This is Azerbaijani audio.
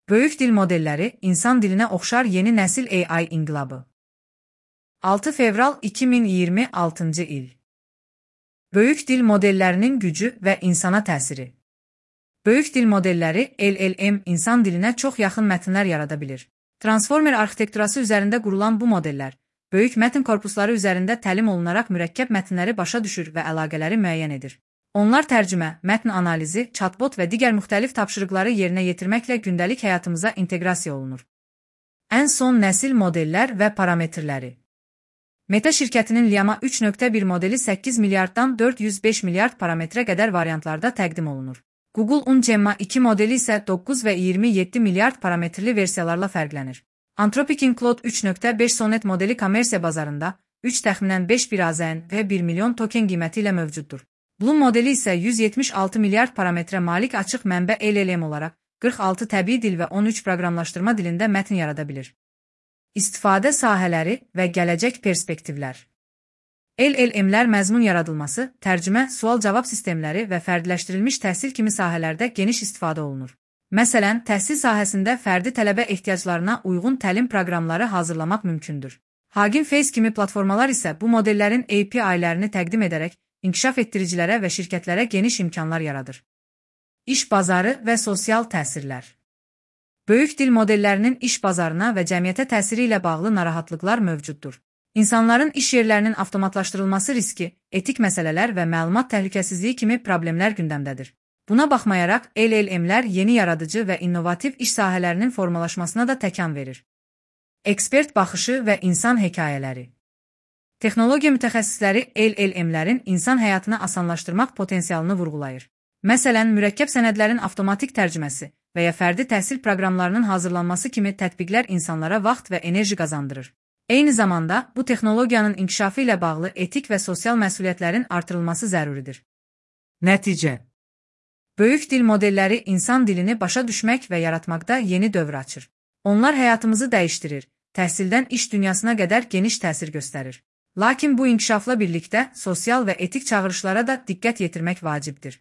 Böyük dil modelləri insan dilinə oxşar yeni nəsil AI inqilabı. 6 fevral 2026-cı il. Böyük dil modellərinin gücü və insana təsiri. Böyük dil modelləri LLM insan dilinə çox yaxın mətnlər yarada bilir. Transformer arxitekturası üzərində qurulan bu modellər, böyük mətn korpusları üzərində təlim olunaraq mürəkkəb mətnləri başa düşür və əlaqələri müəyyən edir. Onlar tərcümə, mətn analizi, chatbot və digər müxtəlif tapşırıqları yerinə yetirməklə gündəlik həyatımıza inteqrasiya olunur. Ən son nəsil modellər və parametrləri. Meta şirkətinin Llama 3.1 modeli 8 milyarddan 405 milyard parametrə qədər variantlarda təqdim olunur. Google-un Gemma 2 modeli isə 9 və 27 milyard parametrli versiyalarla fərqlənir. Anthropic'in Claude 3.5 Sonnet modeli kommersiya bazarında 3 təxminən 5 bir AZN və 1 milyon token qiyməti ilə mövcuddur. Bloom modeli isə 176 milyard parametrə malik açıq mənbə LLM olaraq 46 təbii dil və 13 proqramlaşdırma dilində mətn yarada bilir. İstifadə sahələri və gələcək perspektivlər. LLM-lər məzmun yaradılması, tərcümə, sual-cavab sistemləri və fərdiləşdirilmiş təhsil kimi sahələrdə geniş istifadə olunur. Məsələn, təhsil sahəsində fərdi tələbə ehtiyaclarına uyğun təlim proqramları hazırlamaq mümkündür. Hugging Face kimi platformalar isə bu modellərin API-lərini təqdim edərək inkişaf etdiricilərə və şirkətlərə geniş imkanlar yaradır. İş bazarı və sosial təsirlər. Böyük dil modellərinin iş bazarına və cəmiyyətə təsiri ilə bağlı narahatlıqlar mövcuddur. İnsanların iş yerlərinin avtomatlaşdırılması riski, etik məsələlər və məlumat təhlükəsizliyi kimi problemlər gündəmdədir. Buna baxmayaraq, LLM-lər yeni yaradıcı və innovativ iş sahələrinin formalaşmasına da təkan verir. Ekspert baxışı və insan hekayələri. Texnologiya mütəxəssisləri LLM-lərin insan həyatını asanlaşdırmaq potensialını vurğulayır. Məsələn, mürəkkəb sənədlərin avtomatik tərcüməsi və ya fərdi təhsil proqramlarının hazırlanması kimi tətbiqlər insanlara vaxt və enerji qazandırır. Eyni zamanda, bu texnologiyanın inkişafı ilə bağlı etik və sosial məsuliyyətlərin artırılması zəruridir. Nəticə. Böyük dil modelləri insan dilini başa düşmək və yaratmaqda yeni dövr açır. Onlar həyatımızı dəyişdirir, təhsildən iş dünyasına qədər geniş təsir göstərir. Lakin bu inkişafla birlikdə sosial və etik çağırışlara da diqqət yetirmək vacibdir.